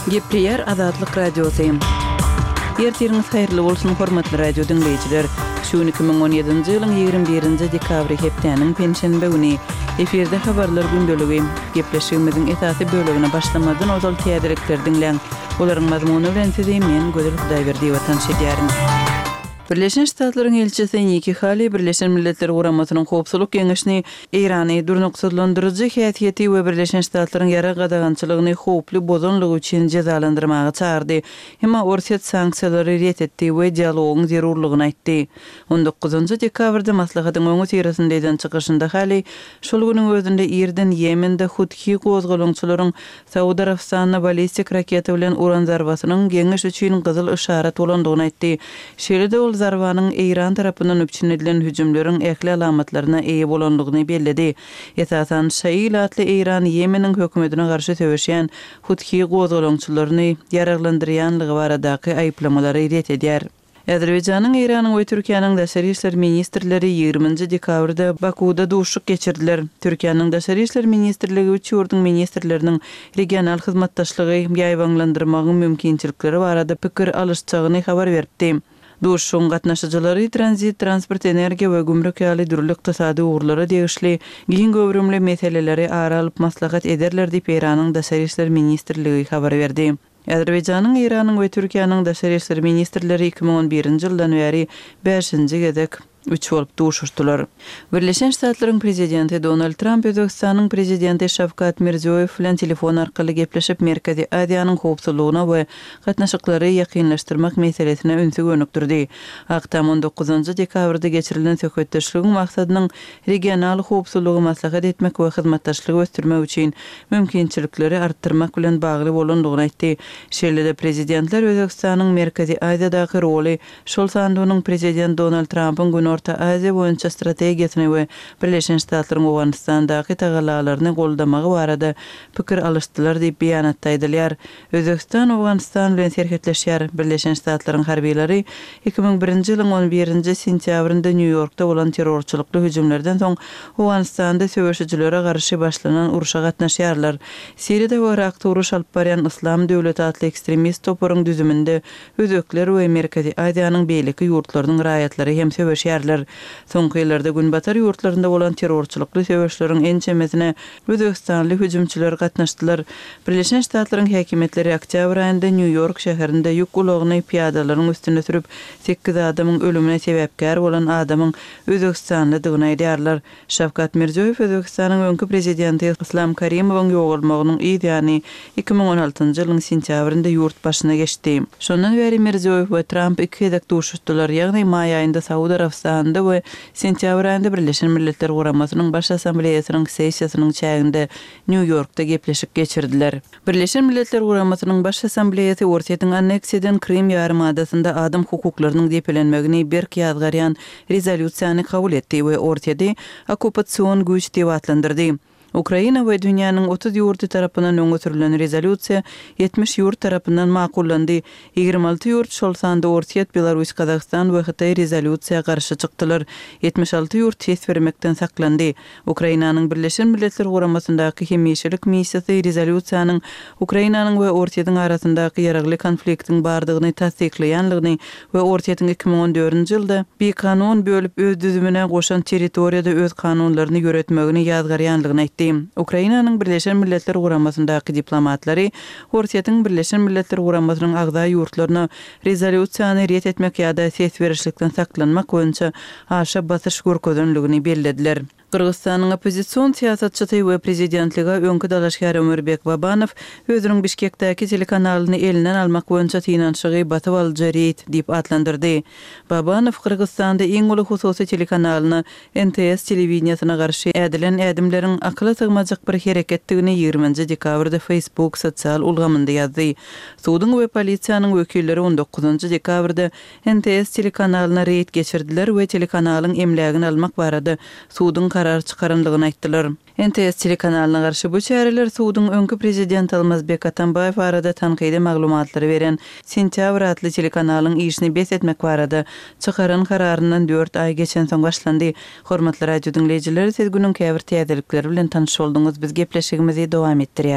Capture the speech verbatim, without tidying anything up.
Gepleýär Azatlyk Radiosy. Ertiriňiz haýyrly bolsun, hormatly radio diňleýjiler! Şu gün iki müň on ýedinji ýylyň ýigrimi birinji dekabry hepdäniň penşenbe güni. Efirde habarlar gündeligi. Gepleşigimiziň esasy bölegine başlamazdan ozal täzelikleri diňläň. Olaryň mazmuny bilen sizi men, Gözel Hudaýberdiýewa tanyş edýärin. Birleşen Ştatlaryň ilçisi Nikki Hali Birleşen Milletler Guramasynyň Howpsuzlyk Geňeşini Eýrany durnuksyzlandyryjy häsiýeti we Birleşen Ştatlaryň ýarag gadagançylygyny howply bozanlygy üçin jezalandyrmaga çagyrdy. Emma Orsýet sanksiýalary ret etdi we dialogyň zerurlygyny aýtdy. On dokuzynjy dekabrda maslahatyň öňüsyrasynda eden çykyşynda Hali şol günüň özünde irden Ýemende Huthi gozgalaňçylaryň Saud Arabystanyna ballistik raketa bilen uran zarbasynyň Geňeş üçin gyzyl yşarat bolandygyny aýtdy. Şeýle-de ol zarbanyň Eýran tarapyndan üpjün edilen hüjümleriň ähli alamatlaryna eýe bolandygyny belledi. Esasan, şaýy ilatly Eýran Ýemeniň hökümetine garşy söweşýän Huthi gozgalaňçylaryny ýaraglandyrýanlygy baradaky aýyplamalary ret edýär. Azerbaýjanyň, Eýranyň we Türkiýäniň daşary işler ministrleri ýigriminji dekabrda Bakuwda duşuşyk geçirdiler. Türkiýäniň Daşary işler ministrligi üç ýurduň ministrleriniň regional hyzmatdaşlygy ýaýbaňlandyrmagyň mümkinçilikleri barada pikir alyşjagyny habar beripdi. Duşuşygyň gatnaşyjylary tranzit, transport, energiýa we gümrük ýaly dürli ykdysady ugurlara degişli giň göwrümli meseleleri ara alyp maslahat ederler diýip, Eýranyň Daşary işler ministrligi habar berdi. Azerbaýjanyň, Eýranyň we Türkiýäniň daşary işler ministrleri iki müň on birinji ýyldan bäri bäşinji gezek üç bolup duşuşdylar. Birleşen Ştatlaryň prezidenti Donald Tramp Özbegistanyň prezidenti Şawkat Mirziýoýew bilen telefon arkaly gepleşip, Merkezi Aziýanyň howpsuzlygyna we gatnaşyklary ýakynlaşdyrmak meselesine ünsi gönükdirdi. Ak Tam on dokuzynjy dekabrda geçirilen söhbetdeşligiň maksadynyň regional howpsuzlygy maslahat etmek we hyzmatdaşlygy ösdürmek üçin mümkinçilikleri artdyrmak bilen bagly bolandygyny aýtdy. Şeýle-de prezidentler Özbegistanyň Merkezi Aziýadaky roly, şol sanda onuň prezident Donald Trampyň Günorta Aziýa boýunça strategiýasyny we Birleşen Ştatlaryň Owganystandaky tagallalaryny goldamagy barada pikir alyşdylar diýip, beýanatda aýdylýar. Özbegistan Owganystan bilen serhetleşýär. Birleşen Ştatlaryň harbylary iki müň birinji ýylyň on birinji sentýabrynda Nýu-Ýorkda bolan terrorçylykly hüjümlerden soň Owganystanda söweşijilere garşy başlanan urşa gatnaşýarlar. Siriýada we Yrakda uruş alyp barýan Yslam döwleti atly ekstremist toparyň düzüminde özbekler we Merkezi Aziýanyň beýleki ýurtlarynyň raýatlary hem söweşýärler. Soňky ýyllarda günbatar ýurtlarynda bolan terrorçylykly söweşleriň ençemesine özbegistanly hüjümçiler gatnaşdylar. Birleşen Ştatlaryň häkimiýetleri oktýabr aýynda Nýu-Ýork şäherinde ýük ulagyny pyýadalaryň üstüne sürüp, sekiz adamyň ölümine sebäpkär bolan adamyň özbegistanlydygyny aýdýarlar. Şawkat Mirziýoýew Özbegistanyň öňki prezidenti Yslam Karimowyň ýogalmagynyň yz ýany iki müň on altynjy ýylyň sentýabrynda ýurt başyna geçdi. Şondan bäri Mirziýoýew we Tramp iki gezek duşuşdylar, ýagny maý aýynda Saud Arabystanynda we sentýabr aýynda Birleşen Milletler Guramasynyň Baş Assambleýasynyň sessiýasynyň çäginde Nýu-Ýorkda gepleşik geçirdiler. Birleşen Milletler Guramasynyň Baş Assambleýasy Orsýetiň anneksiýa eden Krym ýarymadasynda adam hukuklarynyň depelenmegini berk ýazgarýan rezolýusiýany kabul etdi we Orsýeti okkupasion güýç diýip atlandyrdy. Ukraina we dünýäniň otuz ýurdy tarapyndan öňe sürlen rezolýusiýa ýetmiş ýurt tarapyndan makullandy. Ýigrimi alty ýurt, şol sanda Orsýet, Belarus, Gazagystan we Hytaý rezolýusiýa garşy çykdylar. Ýetmiş alty ýurt ses bermekden saklandy. Ukrainanyň Birleşen Milletler Guramasyndaky hemişelik missiýasy rezolýusiýanyň Ukrainanyň we Orsýetiň arasyndaky ýaragly konfliktiň bardygyny tassyklaýanlygyny we Orsýetiň iki müň on dördünji ýylda bikanun bölüp öz düzümine goşan territoriýada öz kanunlaryny ýöretmegini ýazgarýanlygyny aýtdy. Ukrainanyň Birleşen Milletler Guramasyndaky diplomatlary Orsýetiň Birleşen Milletler Guramasynyň agza ýurtlaryna rezolýusiýany ret etmek ýa-da ses berişlikden saklanmak boýunça aşa basyş görkezenligini bellediler. Gyrgyzystanyň oppozision syýasatçysy we prezidentlige öňki dalaşgär Ömürbek Babanow özüniň Bişkekdäki telekanalyny elinden almak boýunça synanyşygy basyp alyjy reýd diýip atlandyrdy. Babanow Gyrgyzystanda iň uly hususy telekanalyna N T S telewideniýesine garşy ädilen ädimleriň akyla sygmajak bir hereketdigini ýigriminji dekabrda Facebook sosial ulgamynda ýazdy. Suduň we polisiýanyň wekilleri on dokuzynjy dekabrda N T S telekanalyna reýd geçirdiler we telekanalyň emlägini almak barada suduň karar çykarandygyny aýtdylar. N T S telekanalyna garşy bu çäreler suduň öňki prezidenti Almazbek Atambaýew barada tankydy maglumatlary beren Sentýabr atly telekanalyň işini bes etmek barada çykaran kararyndan dört aý geçensoň başlandy. Hormatly radio diňleýjiler, siz günüň käbir täzelikleri bilen tanyş bolduňyz. Biz gepleşigimizi dowam etdirýäris.